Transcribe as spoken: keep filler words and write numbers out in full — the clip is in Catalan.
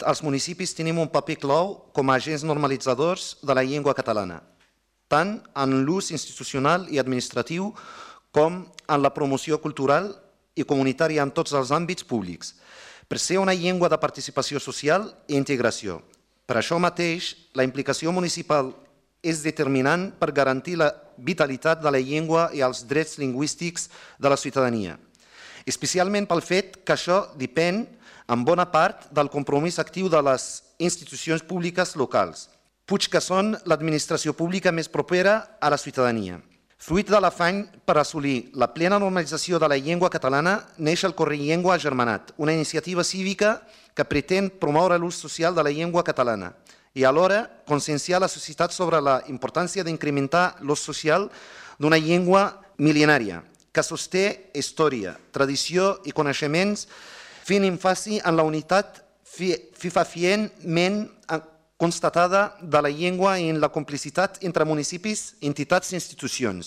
els municipis tenim un paper clau com a agents normalitzadors de la llengua catalana, tant en l'ús institucional i administratiu com en la promoció cultural i comunitària en tots els àmbits públics, per ser una llengua de participació social i integració. Per això mateix, la implicació municipal és determinant per garantir la vitalitat de la llengua i els drets lingüístics de la ciutadania, especialment pel fet que això depèn en bona part del compromís actiu de les institucions públiques locals, puig que són l'administració pública més propera a la ciutadania. Fruit de l'afany per assolir la plena normalització de la llengua catalana, neix el Correllengua Agermanat, una iniciativa cívica que pretén promoure l'ús social de la llengua catalana i alhora conscienciar la societat sobre la importància d'incrementar l'ús social d'una llengua mil·lenària que sosté història, tradició i coneixements, fent èmfasi en la unitat fefaentment constatada de la llengua i en la complicitat entre municipis, entitats i institucions.